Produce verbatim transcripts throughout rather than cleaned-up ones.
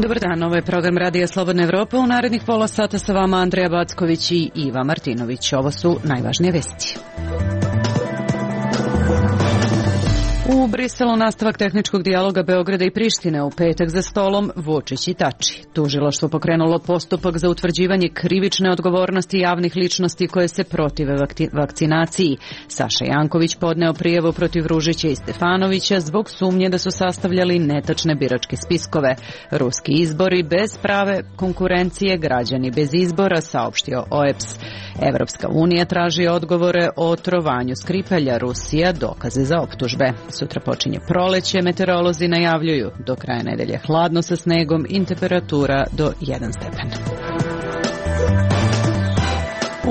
Dobar dan, ovo je program Radija Slobodna Evropa. U narednih pola sata sa vama Andreja Backović i Iva Martinović. Ovo su najvažnije vesti. U Briselu nastavak tehničkog dijaloga Beograda i Prištine, u petak za stolom Vučić i Tači. Tužilaštvo pokrenulo postupak za utvrđivanje krivične odgovornosti javnih ličnosti koje se protive vakcinaciji. Saša Janković podneo prijavu protiv Ružića i Stefanovića zbog sumnje da su sastavljali netačne biračke spiskove. Ruski izbori bez prave konkurencije, građani bez izbora, saopštio O E P S. Evropska unija traži odgovore o otrovanju Skripalja, Rusija dokaze za optužbe. Sutra počinje proleće, meteorolozi najavljuju do kraja nedelje hladno sa snegom i temperatura do jedan stepen.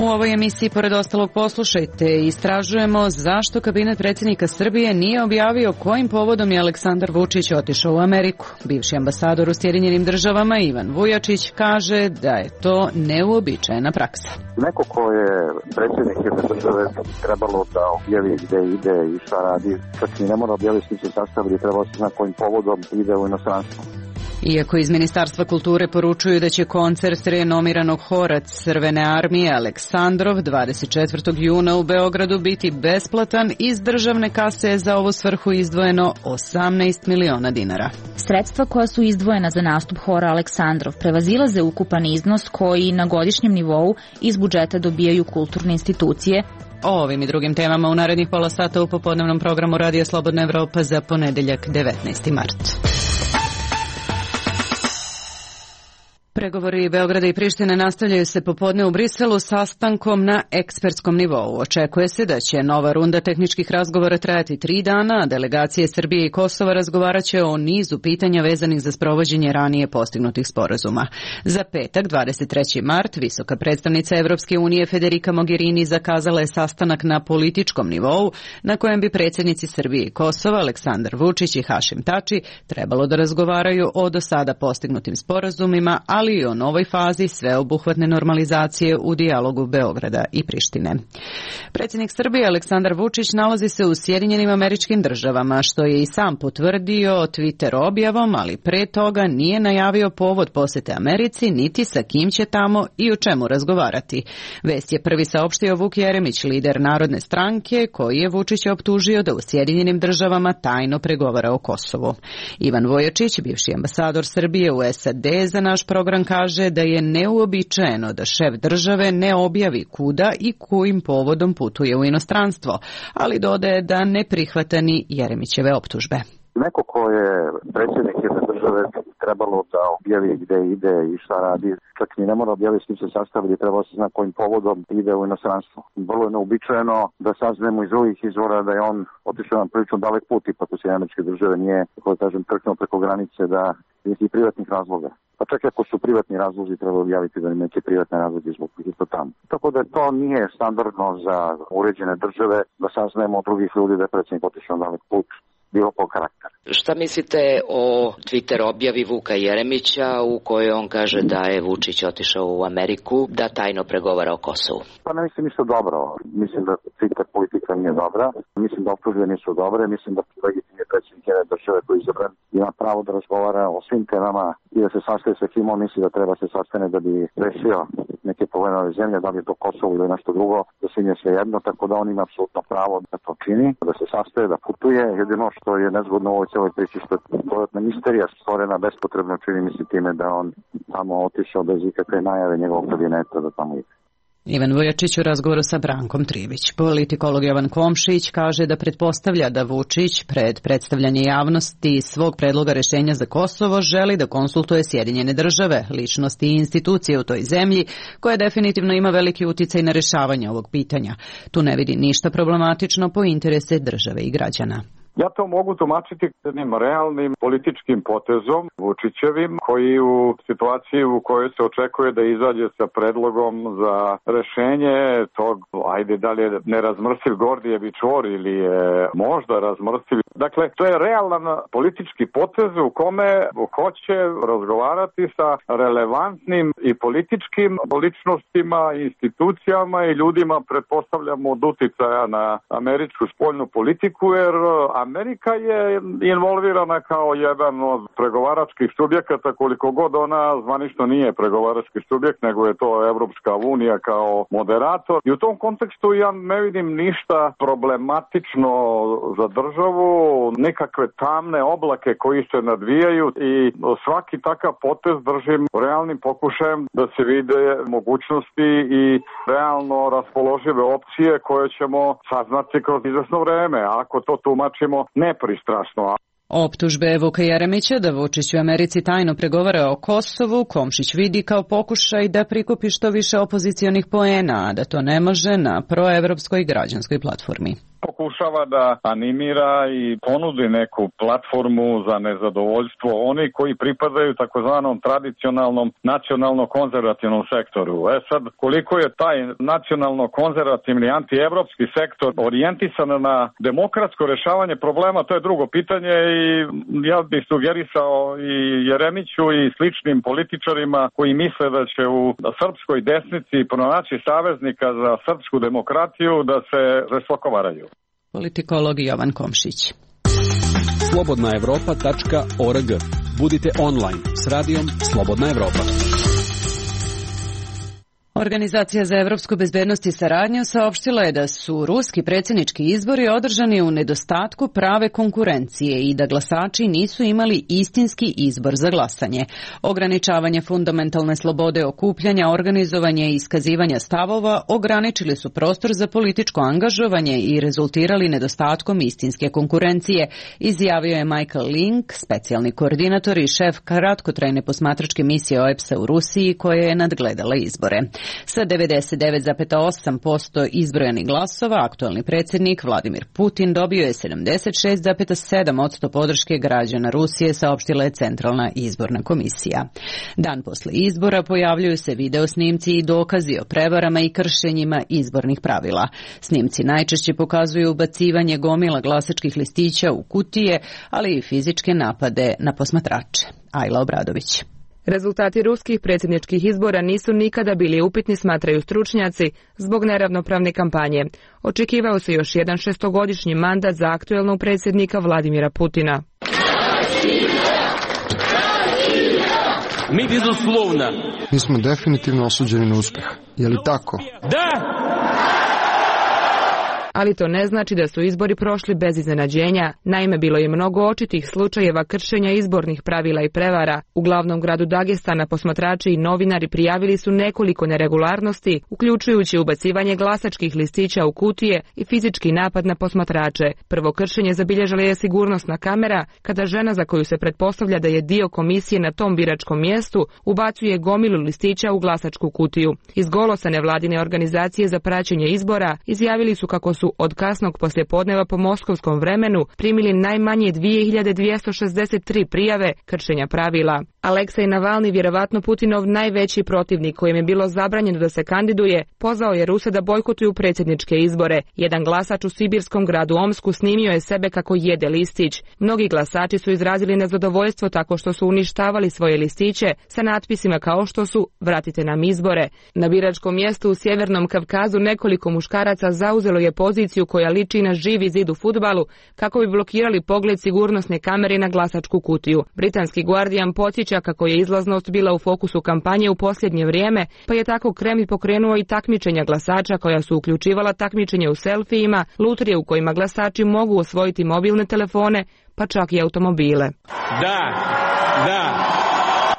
U ovoj emisiji, pored ostalog, poslušajte, istražujemo zašto kabinet predsjednika Srbije nije objavio kojim povodom je Aleksandar Vučić otišao u Ameriku. Bivši ambasador u Sjedinjenim državama Ivan Vujačić kaže da je to neuobičajena praksa. Neko ko je predsjednik jedne države trebalo da objavi gde ide i šta radi, čak i ne mora objaviti svi se sastavili, trebalo se zna kojim povodom ide u inostranstvo. Iako iz Ministarstva kulture poručuju da će koncert renomiranog hora Crvene armije Aleksandrov dvadeset četvrtog juna u Beogradu biti besplatan, iz državne kase je za ovu svrhu izdvojeno osamnaest miliona dinara. Sredstva koja su izdvojena za nastup hora Aleksandrov prevazilaze ukupan iznos koji na godišnjem nivou iz budžeta dobijaju kulturne institucije. O ovim i drugim temama u narednih pola sata u popodnevnom programu Radija Slobodna Evropa za ponedeljak devetnaesti mart. Pregovori Beograda i Prištine nastavljaju se popodne u Briselu sastankom na ekspertskom nivou. Očekuje se da će nova runda tehničkih razgovora trajati tri dana, a delegacije Srbije i Kosova razgovaraće o nizu pitanja vezanih za sprovođenje ranije postignutih sporazuma. Za petak, dvadeset treći mart, visoka predstavnica Evropske unije Federica Mogherini zakazala je sastanak na političkom nivou, na kojem bi predsjednici Srbije i Kosova, Aleksandar Vučić i Hašim Tači, trebalo da razgovaraju o do sada postignutim sporazumima, ali i o novoj fazi sveobuhvatne normalizacije u dijalogu Beograda i Prištine. Predsjednik Srbije Aleksandar Vučić nalazi se u Sjedinjenim Američkim Državama, što je i sam potvrdio Twitter objavom, ali pre toga nije najavio povod posete Americi, niti sa kim će tamo i o čemu razgovarati. Vest je prvi saopštio Vuk Jeremić, lider Narodne stranke, koji je Vučića optužio da u Sjedinjenim Državama tajno pregovara o Kosovu. Ivan Vujačić, bivši ambasador Srbije u S A D, za naš program kaže da je neuobičajeno da šef države ne objavi kuda i kojim povodom putuje u inostranstvo, ali dodaje da ne prihvata ni Jeremićeve optužbe. Neko ko je predsjednik jedne države trebalo da objavi gde ide i šta radi, čak ni ne mora objaviti s kim se sastavili, trebalo se zna kojim povodom ide u inostranstvo. Vrlo je neuobičajeno da saznemo iz drugih izvora da je on otišao na prilično dalek put, ipak u Sjedinjene Američke Države nije, kako da kažem, trknuo preko granice da je i privatnih razloga. Pa čak ako su privatni razlozi, treba objaviti da neke privatne razloge zbog kojih je to tamo. Tako da to nije standardno za uređene države da saznajemo od drugih ljudi da je predsjednik otišao na dalek put, bilo po karakter. Šta mislite o Twitter objavi Vuka Jeremića u kojoj on kaže da je Vučić otišao u Ameriku da tajno pregovara o Kosovu? Pa ne mislim ništa dobro. Mislim da Twitter politika nije dobra. Mislim da optužbe nisu dobre. Mislim da legitimni predsjednik jedne države koji je izabran ima pravo da razgovara o svim temama i da se sastaje sa kim on misli da treba se sastane da bi rešio neke probleme ove zemlje, da li je to Kosovo ili nešto drugo, da se nije sve jedno, tako da on ima apsolutno pravo da to čini, da se sastaje, da putuje. Jedino što je nezgodno u ovoj celoj priči što je dodatna misterija stvorena bespotrebno, čini mi se time da on tamo otišao bez ikakve najave njegovog kabineta da tamo ide. Ivan Vujačić u razgovoru sa Brankom Trivić. Politikolog Jovan Komšić kaže da pretpostavlja da Vučić pred predstavljanje javnosti svog predloga rešenja za Kosovo želi da konsultuje Sjedinjene države, ličnosti i institucije u toj zemlji, koja definitivno ima veliki uticaj na rešavanje ovog pitanja. Tu ne vidi ništa problematično po interese države i građana. Ja to mogu tumačiti jednim realnim političkim potezom Vučićevim, koji u situaciji u kojoj se očekuje da izađe sa predlogom za rešenje tog, ajde da li je nerazmrsiv Gordijevi čvor ili je možda razmrsiv. Dakle, to je realan politički potez u kome hoće razgovarati sa relevantnim i političkim ličnostima, institucijama i ljudima, pretpostavljamo, od uticaja na američku spoljnu politiku, jer Amerika je involvirana kao jedan od pregovaračkih subjekata, koliko god ona zvanično nije pregovarački subjekt, nego je to Evropska unija kao moderator. I u tom kontekstu ja ne vidim ništa problematično za državu, nekakve tamne oblake koji se nadvijaju i svaki takav potez držim realnim pokušajem da se vide mogućnosti i realno raspoložive opcije koje ćemo saznati kroz izvesno vreme, ako to tumačimo nepristrasno. Optužbe Vuka Jeremića da Vučić u Americi tajno pregovara o Kosovu Komšić vidi kao pokušaj da prikupi što više opozicionih poena, a da to ne može na proevropskoj građanskoj platformi. Pokušava da animira i ponudi neku platformu za nezadovoljstvo oni koji pripadaju takozvanom tradicionalnom nacionalno-konzervativnom sektoru. E sad, koliko je taj nacionalno-konzervativni antievropski sektor orijentisan na demokratsko rešavanje problema, to je drugo pitanje i ja bih sugerisao i Jeremiću i sličnim političarima koji misle da će u srpskoj desnici pronaći saveznika za srpsku demokratiju da se žestoko varaju. Politikolog Jovan Komšić. slobodna evropa tačka org. Budite online s radijom Slobodna Evropa. Organizacija za evropsku bezbednost i saradnju saopštila je da su ruski predsjednički izbori održani u nedostatku prave konkurencije i da glasači nisu imali istinski izbor za glasanje. Ograničavanje fundamentalne slobode okupljanja, organizovanje i iskazivanja stavova ograničili su prostor za političko angažovanje i rezultirali nedostatkom istinske konkurencije, izjavio je Michael Link, specijalni koordinator i šef kratkotrajne posmatračke misije O E P S-a u Rusiji koja je nadgledala izbore. Sa devedeset devet zarez osam posto izbrojanih glasova, aktualni predsjednik Vladimir Putin dobio je sedamdeset šest zarez sedam posto podrške građana Rusije, saopštila je Centralna izborna komisija. Dan posle izbora pojavljuju se video snimci i dokazi o prevarama i kršenjima izbornih pravila. Snimci najčešće pokazuju ubacivanje gomila glasačkih listića u kutije, ali i fizičke napade na posmatrače. Ajla Obradović. Rezultati ruskih predsjedničkih izbora nisu nikada bili upitni, smatraju stručnjaci, zbog neravnopravne kampanje. Očekivao se još jedan šestogodišnji mandat za aktuelnog predsjednika Vladimira Putina. Mi bezuslovno. Mi smo definitivno osuđeni na uspjeh. Je li tako? Da! Ali to ne znači da su izbori prošli bez iznenađenja. Naime, bilo je mnogo očitih slučajeva kršenja izbornih pravila i prevara. U glavnom gradu Dagestana posmatrači i novinari prijavili su nekoliko neregularnosti, uključujući ubacivanje glasačkih listića u kutije i fizički napad na posmatrače. Prvo kršenje zabilježila je sigurnosna kamera, kada žena za koju se pretpostavlja da je dio komisije na tom biračkom mjestu ubacuje gomilu listića u glasačku kutiju. Iz Golosa nevladine organizacije za praćenje izbora izjavili su kako su od kasnog poslijepodneva po moskovskom vremenu primili najmanje dvije hiljade dvjesto šezdeset tri prijave kršenja pravila. Aleksej Navalni, vjerovatno Putinov najveći protivnik kojem je bilo zabranjeno da se kandiduje, pozvao je Ruse da bojkotuju predsjedničke izbore. Jedan glasač u sibirskom gradu Omsku snimio je sebe kako jede listić. Mnogi glasači su izrazili nezadovoljstvo tako što su uništavali svoje listiće sa natpisima kao što su "Vratite nam izbore". Na biračkom mjestu u Sjevernom Kavkazu nekoliko muškaraca zauzelo je poziciju koja liči na živi zid u fudbalu kako bi blokirali pogled sigurnosne kamere na glasačku kutiju. Britanski Guardian podsjeća kako je izlaznost bila u fokusu kampanje u posljednje vrijeme, pa je tako Kremlj pokrenuo i takmičenja glasača koja su uključivala takmičenje u selfijima, lutrije u kojima glasači mogu osvojiti mobilne telefone, pa čak i automobile. Da, da.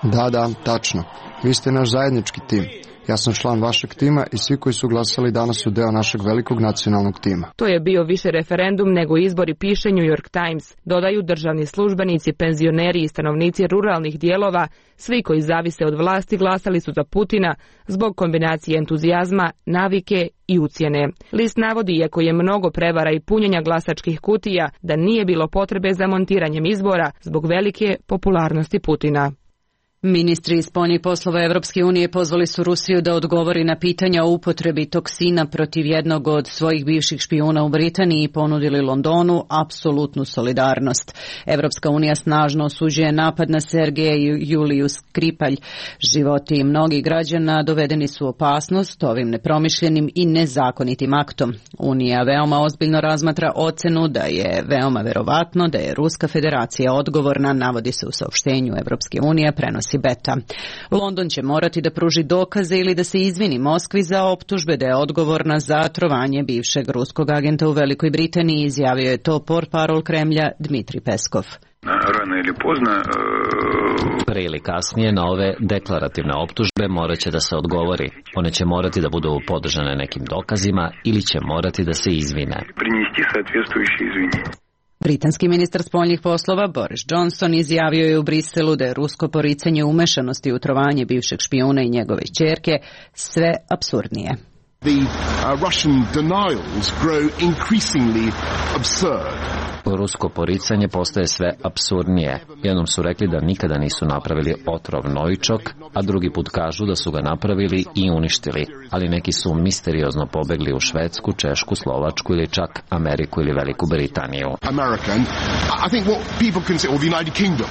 Da, da, tačno. Vi ste naš zajednički tim. Ja sam član vašeg tima i svi koji su glasali danas su deo našeg velikog nacionalnog tima. To je bio više referendum nego izbori, piše New York Times. Dodaju državni službenici, penzioneri i stanovnici ruralnih dijelova, svi koji zavise od vlasti glasali su za Putina zbog kombinacije entuzijazma, navike i ucjene. List navodi, iako je mnogo prevara i punjenja glasačkih kutija, da nije bilo potrebe za montiranjem izbora zbog velike popularnosti Putina. Ministri spoljnih poslova Evropske unije pozvali su Rusiju da odgovori na pitanja o upotrebi toksina protiv jednog od svojih bivših špijuna u Britaniji i ponudili Londonu apsolutnu solidarnost. Evropska unija snažno osuđuje napad na Sergeja Juliju Skripalj. Životi mnogih građana dovedeni su u opasnost ovim nepromišljenim i nezakonitim aktom. Unija veoma ozbiljno razmatra ocenu da je veoma verovatno da je Ruska federacija odgovorna, navodi se u saopštenju Evropske unije, prenosi Beta. London će morati da pruži dokaze ili da se izvini Moskvi za optužbe da je odgovorna za trovanje bivšeg ruskog agenta u Velikoj Britaniji, izjavio je to portparol Kremlja Dmitri Peskov. Rano ili pozno, pre ili kasnije na ove deklarativne optužbe morat će da se odgovori. One će morati da budu podržane nekim dokazima ili će morati da se izvine. Prinesti соответствующие извинения. Britanski ministar spoljnih poslova Boris Johnson izjavio je u Briselu da je rusko poricanje umešanosti u trovanje bivšeg špijuna i njegove ćerke sve apsurdnije. The uh, Russian denials grow increasingly absurd. Rusko poricanje postaje sve apsurdnije. Jednom su rekli da nikada nisu napravili otrov Novičok, a drugi put kažu da su ga napravili i uništili. Ali neki su misteriozno pobegli u Švedsku, Češku, Slovačku ili čak Ameriku ili Veliku Britaniju. American, I think what people consider, or the United Kingdom.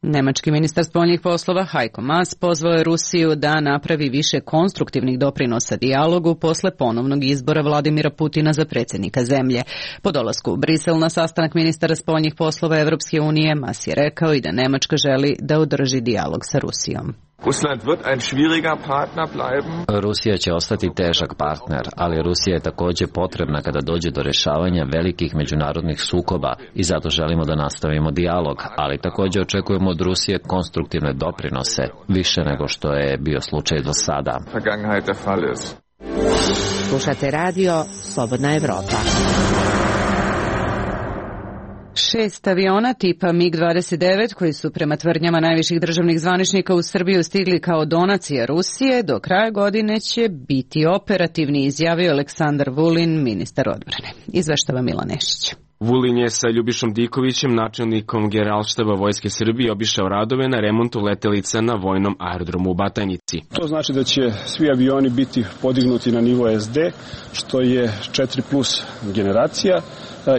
Nemački ministar spoljnih poslova Heiko Maas pozvao je Rusiju da napravi više konstruktivnih doprinosa dijalogu posle ponovnog izbora Vladimira Putina za predsjednika zemlje. Po dolasku u Brisel na sastanak ministara spoljnih poslova Evropske unije, Maas je rekao i da Nemačka želi da održi dijalog sa Rusijom. Russland wird ein schwieriger Partner bleiben. Rusija će ostati težak partner, ali Rusija je također potrebna kada dođe do rješavanja velikih međunarodnih sukoba i zato želimo da nastavimo dijalog, ali također očekujemo od Rusije konstruktivne doprinose, više nego što je bio slučaj do sada. Vergangenheit der Fall ist. Slušate radio Slobodna Evropa. Šest aviona tipa mig dvadeset devet, koji su prema tvrdnjama najviših državnih zvaničnika u Srbiju stigli kao donacija Rusije, do kraja godine će biti operativni, izjavio Aleksandar Vulin, ministar odbrane. Izveštava Milan Nešić. Vulin je sa Ljubišom Dikovićem, načelnikom Generalštaba Vojske Srbije, obišao radove na remontu letelica na vojnom aerodromu u Batajnici. To znači da će svi avioni biti podignuti na nivo es de, što je četiri plus generacija,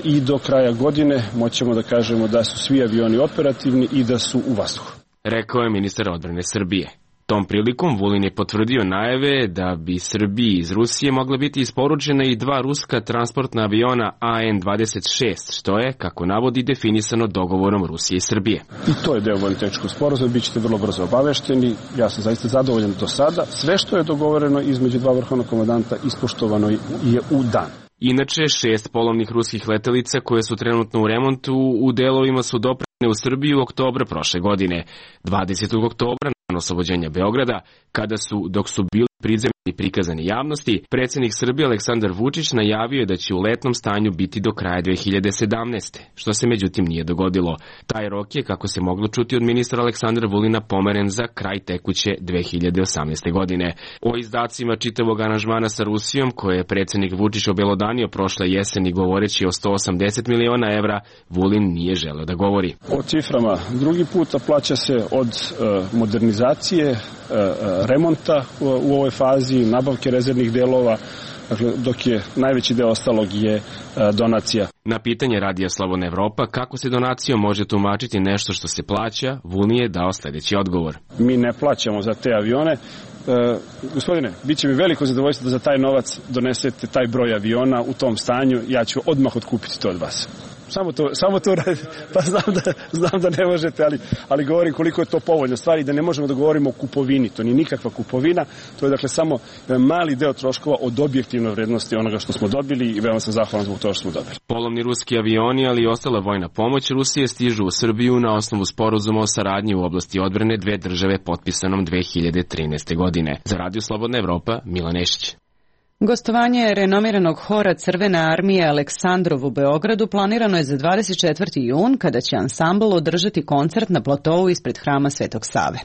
i do kraja godine moćemo da kažemo da su svi avioni operativni i da su u vazduhu. Rekao je ministar odbrane Srbije. Tom prilikom Vulin je potvrdio najave da bi Srbiji iz Rusije mogla biti isporučena i dva ruska transportna aviona A N dvadeset šest, što je, kako navodi, definisano dogovorom Rusije i Srbije. I to je deo vojno-tehničkog sporazuma, bit ćete vrlo brzo obavešteni. Ja sam zaista zadovoljan do sada. Sve što je dogovoreno između dva vrhovna komandanta ispoštovano je u dan. Inače, šest polovnih ruskih letelica koje su trenutno u remontu u delovima su doprane u Srbiju u oktobra prošle godine. dvadesetog oktobra, nakon oslobođenja Beograda, kada su, dok su bili prizemljeni i prikazani javnosti, predsjednik Srbije Aleksandar Vučić najavio je da će u letnom stanju biti do kraja dve hiljade sedamnaeste. Što se međutim nije dogodilo. Taj rok je, kako se moglo čuti od ministra Aleksandra Vulina, pomeren za kraj tekuće dve hiljade osamnaeste. godine. O izdacima čitavog aranžmana sa Rusijom, koje je predsjednik Vučić obelodanio prošle jeseni govoreći o sto osamdeset miliona evra, Vulin nije želeo da govori. O ciframa drugi puta plaća se od uh, modernizacije, uh, remonta u, u ovoj fazi, nabavke rezervnih delova, dakle, dok je najveći deo ostalog je uh, donacija. Na pitanje Radija Slobodna Evropa kako se donacijom može tumačiti nešto što se plaća, Vulin je dao sljedeći odgovor. Mi ne plaćamo za te avione. Uh, gospodine, bit će mi veliko zadovoljstvo da za taj novac donesete taj broj aviona u tom stanju, ja ću odmah otkupiti to od vas. samo to, samo to radi. Pa znam da, znam da ne možete, ali, ali govorim koliko je to povoljno stvari, da ne možemo da govorimo o kupovini. To nije nikakva kupovina, to je dakle samo mali deo troškova od objektivne vrednosti onoga što smo dobili i veoma sam zahvalan zbog toga što smo dobili. Polovni ruski avioni, ali i ostala vojna pomoć Rusije stižu u Srbiju na osnovu sporazuma o saradnji u oblasti odbrane dve države potpisanom dve hiljade trinaeste. godine. Za Radio Slobodna Evropa, Milan Nešić. Gostovanje renomiranog hora Crvene armije Aleksandrov u Beogradu planirano je za dvadeset četvrti jun, kada će ansambl održati koncert na platovu ispred hrama Svetog Save.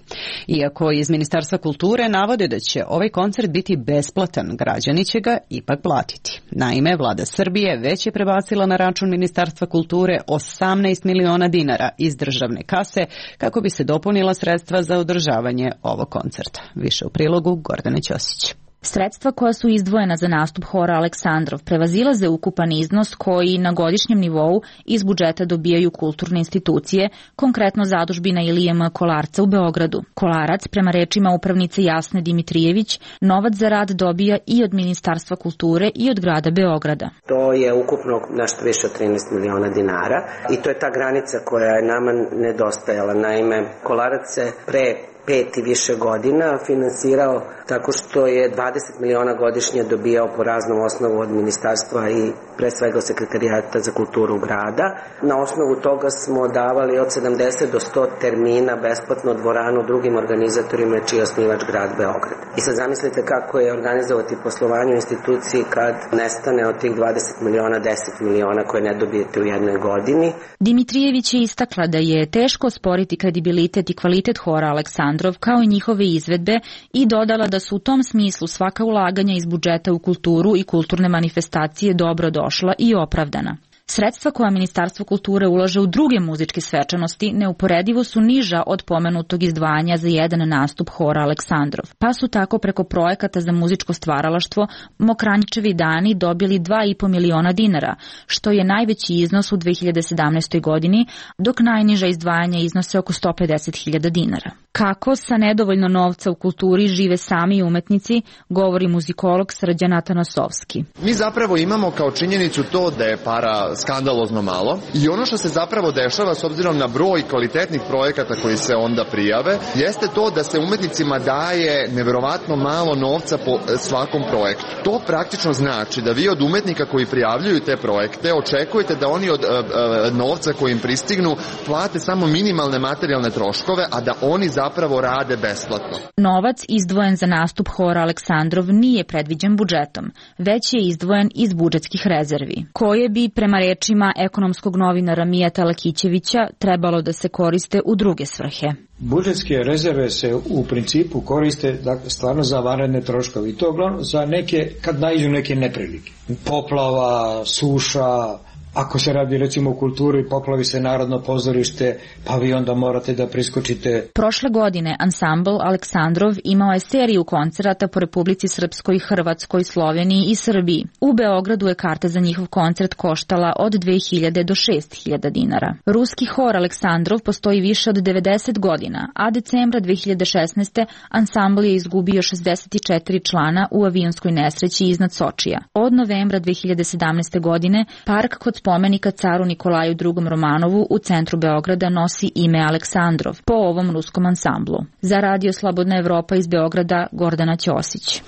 Iako iz Ministarstva kulture navode da će ovaj koncert biti besplatan, građani će ga ipak platiti. Naime, vlada Srbije već je prebacila na račun Ministarstva kulture osamnaest miliona dinara iz državne kase kako bi se dopunila sredstva za održavanje ovog koncerta. Više u prilogu Gordane Ćosić. Sredstva koja su izdvojena za nastup hora Aleksandrov prevazilaze ukupan iznos koji na godišnjem nivou iz budžeta dobijaju kulturne institucije, konkretno zadužbina Ilije M. Kolarca u Beogradu. Kolarac, prema rečima upravnice Jasne Dimitrijević, novac za rad dobija i od Ministarstva kulture i od grada Beograda. To je ukupno nešto više od trinaest miliona dinara i to je ta granica koja je nama nedostajala. Naime, Kolarac se pre pet i više godina finansirao tako što je dvadeset miliona godišnje dobijao po raznom osnovu od ministarstva i pre svega sekretarijata za kulturu grada. Na osnovu toga smo davali od sedamdeset do sto termina besplatno dvoranu drugim organizatorima čiji je osnivač grad Beograd. I sad zamislite kako je organizovati poslovanje u instituciji kad nestane od tih dvadeset miliona deset miliona koje ne dobijete u jednoj godini. Dimitrijević je istakla da je teško sporiti kredibilitet i kvalitet hora Aleksandrov kao i njihove izvedbe i dodala da su u tom smislu svaka ulaganja iz budžeta u kulturu i kulturne manifestacije dobro došla i opravdana. Sredstva koja Ministarstvo kulture ulaže u druge muzičke svečanosti neuporedivo su niža od pomenutog izdvajanja za jedan nastup hora Aleksandrov, pa su tako preko projekata za muzičko stvaralaštvo Mokranjčevi dani dobili dva i po miliona dinara, što je najveći iznos u dve hiljade sedamnaestoj. godini, dok najniža izdvajanja iznose oko sto pedeset hiljada dinara. Kako sa nedovoljno novca u kulturi žive sami umetnici, govori muzikolog Srđan Atanasovski. Mi zapravo imamo kao činjenicu to da je para skandalozno malo i ono što se zapravo dešava s obzirom na broj kvalitetnih projekata koji se onda prijave, jeste to da se umetnicima daje neverovatno malo novca po svakom projektu. To praktično znači da vi od umetnika koji prijavljuju te projekte očekujete da oni od uh, uh, novca koji im pristignu plate samo minimalne materijalne troškove, a da oni zapravo rade besplatno. Novac izdvojen za nastup hora Aleksandrov nije predviđen budžetom, već je izdvojen iz budžetskih rezervi, koje bi prema rečima ekonomskog novinara Mijata Lakićevića trebalo da se koriste u druge svrhe. Budžetske rezerve se u principu koriste dakle, stvarno za vanredne troškove i to uglavnom za neke, kad naiđu neke neprilike. Poplava, suša, ako se radi recimo o kulturi, poplavi se Narodno pozorište, pa vi onda morate da priskočite. Prošle godine ansambl Aleksandrov imao je seriju koncerata po Republici Srpskoj, Hrvatskoj, Sloveniji i Srbiji. U Beogradu je karta za njihov koncert koštala od dve hiljade do šest hiljada dinara. Ruski hor Aleksandrov postoji više od devedeset godina, a decembra dve hiljade šesnaeste. ansambl je izgubio šezdeset četiri člana u avionskoj nesreći iznad Sočija. Od novembra dve hiljade sedamnaeste. godine park kod spomenika caru Nikolaju drugom Romanovu u centru Beograda nosi ime Aleksandrov po ovom ruskom ansamblu. Za Radio Slobodna Evropa iz Beograda, Gordana Ćosić.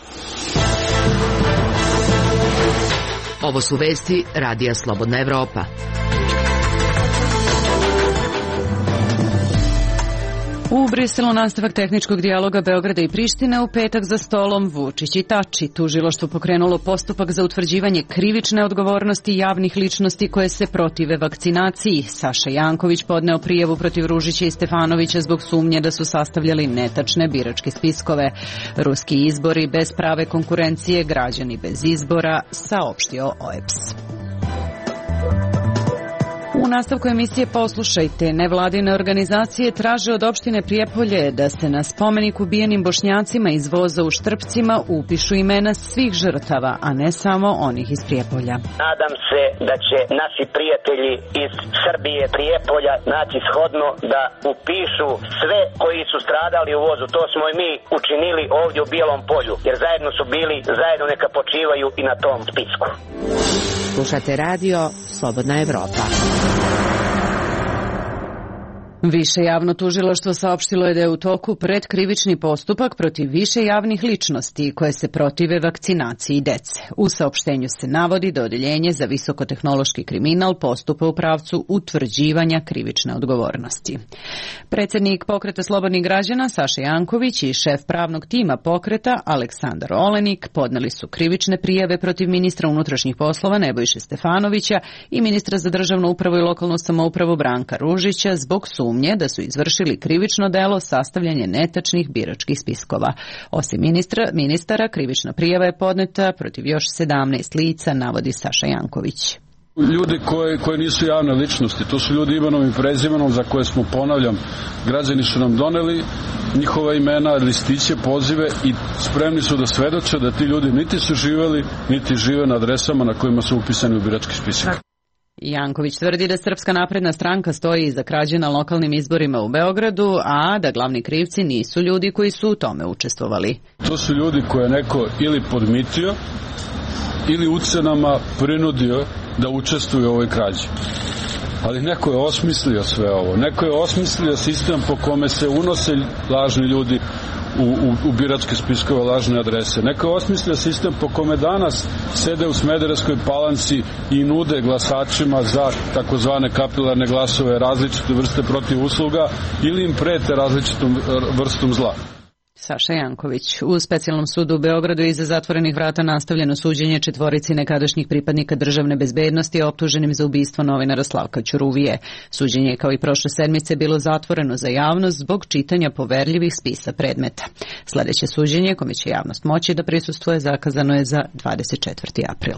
Ovo su vesti Radija Slobodna Evropa. U Briselu nastavak tehničkog dijaloga Beograda i Prištine, u petak za stolom Vučić i Tači. Tužilaštvo pokrenulo postupak za utvrđivanje krivične odgovornosti javnih ličnosti koje se protive vakcinaciji. Saša Janković podneo prijavu protiv Ružića i Stefanovića zbog sumnje da su sastavljali netačne biračke spiskove. Ruski izbori bez prave konkurencije, građani bez izbora, saopštio O E P S. U nastavku emisije poslušajte, nevladine organizacije traže od opštine Prijepolje da se na spomenik ubijenim Bošnjacima iz voza u Štrpcima upišu imena svih žrtava, a ne samo onih iz Prijepolja. Nadam se da će naši prijatelji iz Srbije, Prijepolja naći shodno da upišu sve koji su stradali u vozu. To smo i mi učinili ovdje u Bijelom polju, jer zajedno su bili, zajedno neka počivaju i na tom spisku. Slušate radio Slobodna Evropa. Više javno tužilaštvo saopštilo je da je u toku predkrivični postupak protiv više javnih ličnosti koje se protive vakcinaciji dece. U saopštenju se navodi da Odeljenje za visokotehnološki kriminal postupa u pravcu utvrđivanja krivične odgovornosti. Predsjednik Pokreta slobodnih građana Saša Janković i šef pravnog tima Pokreta Aleksandar Olenik podneli su krivične prijave protiv ministra unutrašnjih poslova Nebojše Stefanovića i ministra za državnu upravu i lokalnu samoupravu Branka Ružića zbog sumnje da su izvršili krivično delo sastavljanje netačnih biračkih spiskova. Osim ministra, ministara, krivična prijava je podneta protiv još sedamnaest lica, navodi Saša Janković. Ljudi koje, koje nisu javne ličnosti, to su ljudi imenom i prezimenom za koje smo, ponavljam, građani su nam doneli njihova imena, listiće, pozive i spremni su da svedoče da ti ljudi niti su živeli, niti žive na adresama na kojima su upisani u birački spisak. Janković tvrdi da Srpska napredna stranka stoji iza krađe na lokalnim izborima u Beogradu, a da glavni krivci nisu ljudi koji su u tome učestvovali. To su ljudi koje je neko ili podmitio ili ucenama prinudio da učestvuju u ovoj krađi. Ali neko je osmislio sve ovo. Neko je osmislio sistem po kome se unose lažni ljudi u, u, u biračke spiskove, lažne adrese. Neko je osmislio sistem po kome danas sede u Smederevskoj Palanci i nude glasačima za takozvane kapilarne glasove različite vrste protiv usluga ili im prete različitom vrstom zla. Saša Janković. U specijalnom sudu u Beogradu iza zatvorenih vrata nastavljeno suđenje četvorici nekadašnjih pripadnika državne bezbednosti optuženim za ubistvo novinara Slavka Ćuruvije. Suđenje je kao i prošle sedmice bilo zatvoreno za javnost zbog čitanja poverljivih spisa predmeta. Sljedeće suđenje, kome će javnost moći da prisustvuje, zakazano je za dvadeset četvrti april.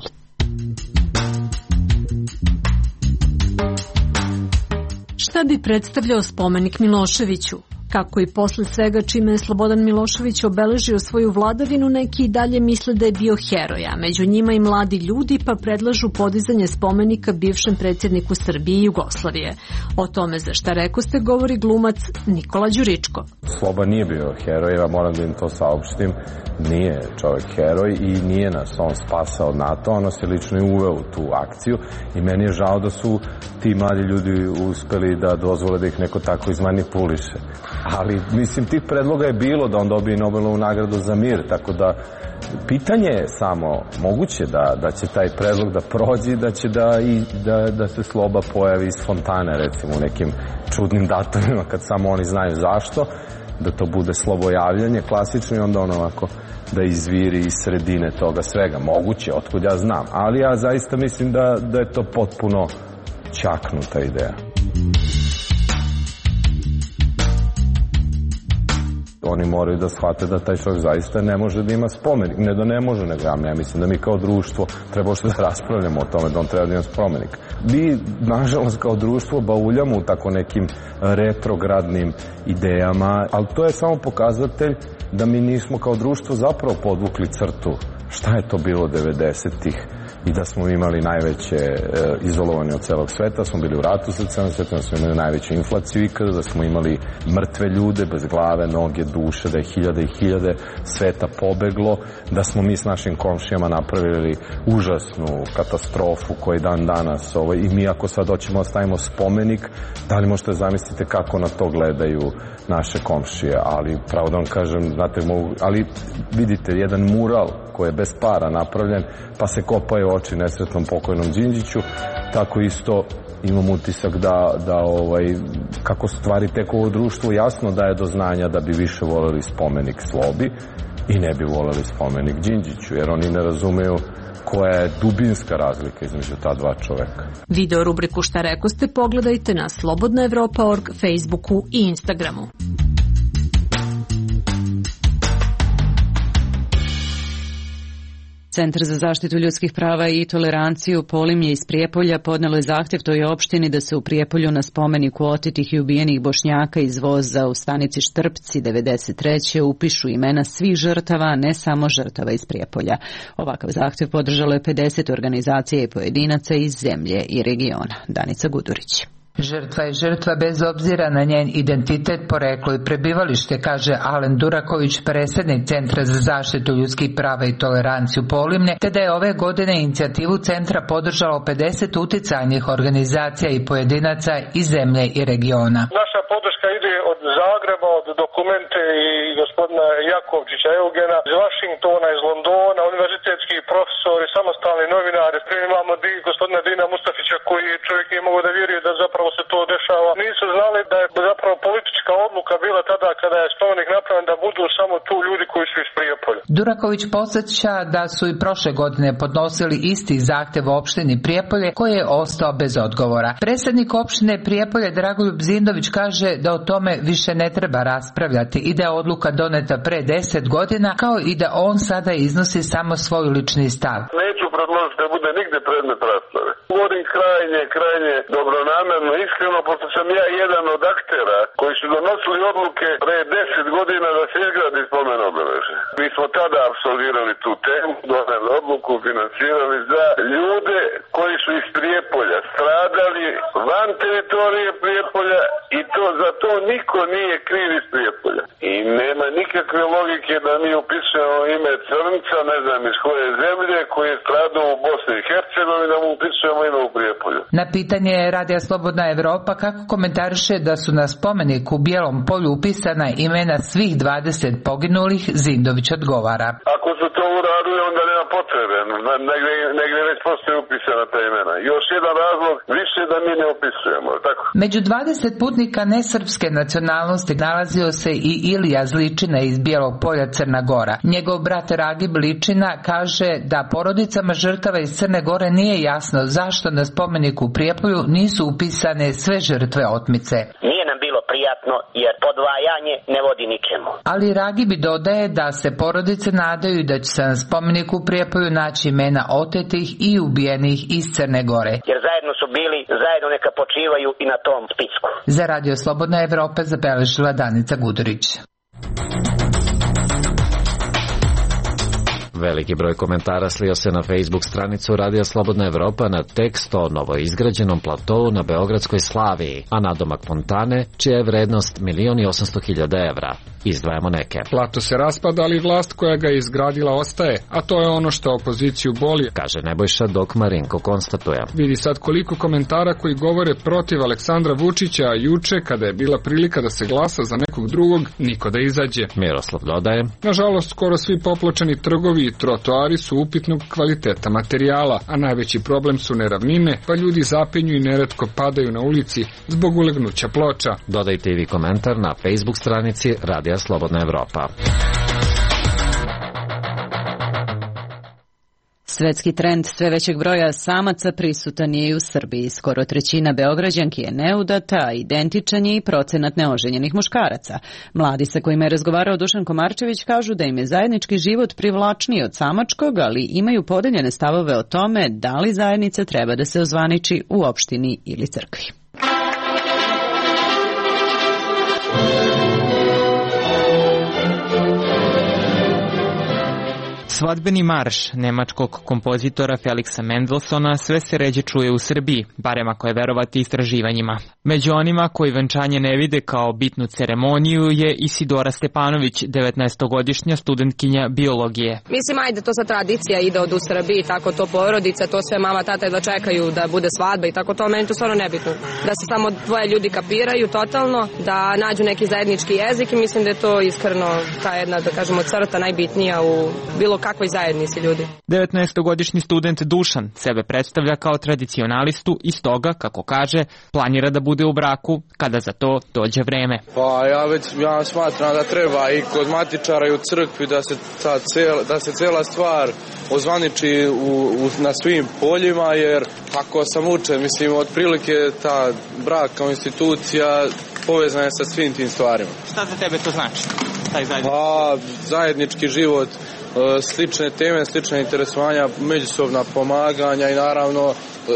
Šta bi predstavljao spomenik Miloševiću? Kako i posle svega čime je Slobodan Milošević obeležio svoju vladavinu, neki i dalje misle da je bio heroj, a među njima i mladi ljudi, pa predlažu podizanje spomenika bivšem predsjedniku Srbije i Jugoslavije. O tome za šta rekoste govori glumac Nikola Đuričko. Sloba nije bio heroj, ja moram da im to saopštim. Nije čovjek heroj i nije nas on spasao od NATO, on nas je lično i uveo u tu akciju i meni je žao da su ti mladi ljudi uspeli da dozvole da ih neko tako izmanipuliše. Ali, mislim, tih predloga je bilo da on dobije Nobelovu nagradu za mir, tako da pitanje je samo moguće da, da će taj predlog da prođe, da će da, i, da, da se Sloba pojavi iz fontane, recimo, u nekim čudnim datumima kad samo oni znaju zašto, da to bude slobojavljanje klasično i onda ono ovako da izviri iz sredine toga svega. Moguće, otkud ja znam, ali ja zaista mislim da, da je to potpuno čaknuta ideja. Oni moraju da shvate da taj čovjek zaista ne može da ima spomenik. Ne da ne može, nego ja mislim da mi kao društvo treba što da raspravljamo o tome da on treba da ima spomenik. Mi, nažalost, kao društvo bauljamo u tako nekim retrogradnim idejama, ali to je samo pokazatelj da mi nismo kao društvo zapravo podvukli crtu. Šta je to bilo devedesetih i da smo imali najveće e, izolovanje od celog sveta, smo bili u ratu sa celom svetom, da smo imali najveću inflaciju ikada, da smo imali mrtve ljude bez glave, noge, duše, da je hiljade i hiljade sveta pobeglo, da smo mi s našim komšijama napravili užasnu katastrofu koji dan danas ovaj, i mi ako sad hoćemo da stavimo spomenik, da li možete zamislite kako na to gledaju naše komšije, ali pravo da vam kažem, znate, mogu, ali vidite, jedan mural koji je bez para napravljen, pa se kopaju oči nesretnom pokojnom Đinđiću, tako isto imam utisak da, da ovaj, kako stvari tek ovo društvo jasno daje do znanja da bi više voleli spomenik Slobi i ne bi voleli spomenik Đinđiću, jer oni ne razumeju koja je dubinska razlika između ta dva čoveka. Video rubriku Šta rekoste pogledajte na slobodna evropa tačka org, Facebooku i Instagramu. Centar za zaštitu ljudskih prava i toleranciju Polimlje iz Prijepolja podnelo je zahtjev toj opštini da se u Prijepolju na spomeniku otetih i ubijenih Bošnjaka iz voza u stanici Štrpci devedeset treće upišu imena svih žrtava, a ne samo žrtava iz Prijepolja. Ovakav zahtjev podržalo je pedeset organizacija i pojedinaca iz zemlje i regiona. Danica Gudurić. Žrtva je žrtva bez obzira na njen identitet, poreklo i prebivalište, kaže Alen Duraković, predsjednik Centra za zaštitu ljudskih prava i toleranciju Polimlje, te da je ove godine inicijativu centra podržalo pedeset uticajnih organizacija i pojedinaca iz zemlje i regiona. Naša podrška ide od Zagreba, od Dokumente i gospodina Jakovčića Eugena, iz Vašingtona, iz Londona, univerzitetski profesori, samostalni novinari. Imamo di, gospodina Dina Mustafića koji čovjek nije mogao da vjeruje da zapravo se to dešava. Nisu znali da je zapravo politička odluka bila tada kada je spomenik napravljen da budu samo tu ljudi koji su iz Prijepolja. Duraković podsjeća da su i prošle godine podnosili isti zahtev u opštini Prijepolje koji je ostao bez odgovora. Predsjednik opštine Prijepolje Dragoljub Zindović kaže da o tome više ne treba raspravljati i da je odluka doneta pre deset godina, kao i da on sada iznosi samo svoj lični stav. Neću predložiti da bude nigde predmet rasprave. Govorim krajnje, krajnje dobronamerno, iskreno, pošto sam ja jedan od aktera koji su donosili odluke pre deset godina da se izgradi spomen obeležje. Mi smo tada apsolvirali tu temu, doneli odluku, finansirali za ljude koji su iz Prijepolja stradali van teritorije Prijepolja i to za to niko nije kriv iz Prijepolja. I nema nikakve logike da mi upisujemo ime crnca, ne znam iz koje zemlje, koji je stradao u Bosni i Hercegovini, da mu upisujemo ime u Prijepolju. Na pitanje Radija Slobodna Evropa kako komentariše da su na spomeniku u Bijelom polju upisana imena svih dvadeset poginulih, Zindović odgovara. Ako su to uradili, onda nema potrebe. Negdje, negdje već postoje upisana ta imena. Još jedan razlog više da mi ne upisujemo, tako? Među dvadeset putnika nesrpske nacionalnosti nalazio se i Ilija Zličina iz Bijelog polja, Crna Gora. Njegov brat Ragib Ličina kaže da porodicama žrtava iz Crne Gore nije jasno zašto na spomeniku u Prijepolju nisu upisane sve žrtve otmice. Nije nam bilo prijatno jer podvajanje ne vodi ničemu. Ali Ragibi dodaje da se porodice nadaju da će se na spomeniku u Prijepolju naći imena otetih i ubijenih iz Crne Gore. Jer zajedno su bili, zajedno neka počivaju i na tom spisku. Za Radio Slobodna Evropa zabeležila Danica Gudurić. Veliki broj komentara slio se na Facebook stranicu Radija Slobodna Evropa na tekst o novoizgrađenom platovu na Beogradskoj Slaviji, a nadomak fontane, čija je vrednost milion i osamsto hiljada evra. Izdvajamo neke. Plato se raspada, ali vlast koja ga je izgradila ostaje, a to je ono što opoziciju boli, kaže Nebojša, dok Marinko konstatuje. Vidi sad koliko komentara koji govore protiv Aleksandra Vučića, a juče, kada je bila prilika da se glasa za nekog drugog, niko da izađe. Miroslav dodaje. Nažalost, skoro svi popločani trgovi i trotoari su upitnog kvaliteta materijala, a najveći problem su neravnine, pa ljudi zapenju i neretko padaju na ulici zbog ulegnuća ploča. Dodajte i vi komentar na Facebook stranici Radija Slobodna Evropa. Svetski trend sve većeg broja samaca prisutan je i u Srbiji. Skoro trećina Beograđanki je neudata, a identičan je i procenat neoženjenih muškaraca. Mladi sa kojima je razgovarao Dušan Komarčević kažu da im je zajednički život privlačniji od samačkog, ali imaju podeljene stavove o tome da li zajednica treba da se ozvaniči u opštini ili crkvi. Svadbeni marš nemačkog kompozitora Felixa Mendelssohna sve se ređe čuje u Srbiji, barem ako je verovati istraživanjima. Među onima koji venčanje ne vide kao bitnu ceremoniju je Isidora Stepanović, devetnaestogodišnja studentkinja biologije. Mislim, ajde, to sa tradicija ide od u Srbiji, tako to porodica, to sve mama, tata da čekaju da bude svadba i tako to, meni to stvarno nebitno. Da se samo dvoje ljudi kapiraju totalno, da nađu neki zajednički jezik i mislim da je to iskreno ta jedna, da kažemo, crta najbitnija u bilo kakvoj zajednici ljudi. devetnaestogodišnji student Dušan sebe predstavlja kao tradicionalistu i stoga, kako kaže, planira da bude u braku kada za to dođe vreme. Pa ja već ja smatram da treba i kod matičara i u crkvi da se ta cela, da se cela stvar ozvaniči u, u, na svim poljima, jer ako sam učen, mislim, otprilike ta brak kao institucija povezana je sa svim tim stvarima. Šta za tebe to znači? Taj zajednički? Pa, zajednički život, slične teme, slične interesovanja, međusobna pomaganja i naravno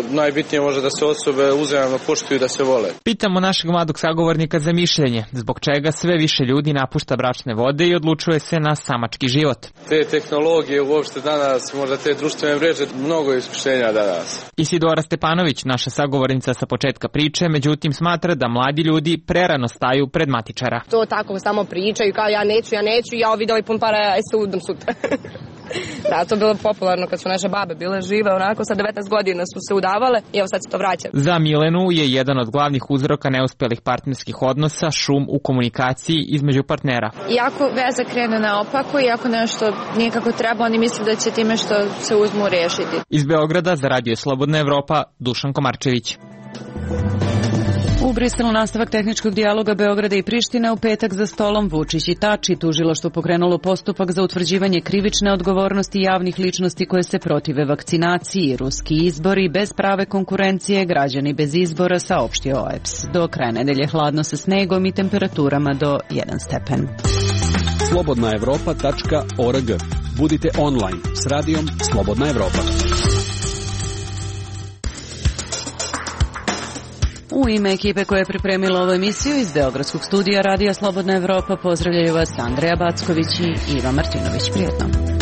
najbitnije može da se osobe uzajamno poštuju i da se vole. Pitamo našeg mladog sagovornika za mišljenje, zbog čega sve više ljudi napušta bračne vode i odlučuje se na samački život. Te tehnologije uopšte danas, možda te društvene mreže, mnogo je iskušenja danas. Isidora Stepanović, naša sagovornica sa početka priče, međutim smatra da mladi ljudi prerano staju pred matičara. To tako samo pričaju kao ja neću, ja neću, ja ovo video i pun para, ja se udam sutra. Da, to je bilo popularno kad su naše babe bile žive, onako sa devetnaest godina su se udavale i evo sad se to vraća. Za Milenu je jedan od glavnih uzroka neuspelih partnerskih odnosa šum u komunikaciji između partnera. Iako veza krene naopako, iako nešto nije kako treba, oni misle da će time što se uzmu rešiti. Iz Beograda za Radio Slobodna Evropa, Dušan Komarčević. U Briselu nastavak tehničkog dijaloga Beograda i Prištine, u petak za stolom Vučić i Tači. Tužilaštvo pokrenulo postupak za utvrđivanje krivične odgovornosti javnih ličnosti koje se protive vakcinaciji. Ruski izbori bez prave konkurencije, građani bez izbora, saopštio O E P S. Do kraja nedelje hladno sa snegom i temperaturama do jedan stepen. slobodna evropa tačka org. Budite online s radijom Slobodna Evropa. U ime ekipe koja je pripremila ovu emisiju iz Beogradskog studija Radija Slobodna Evropa pozdravljaju vas Andreja Backović i Iva Martinović. Prijetno.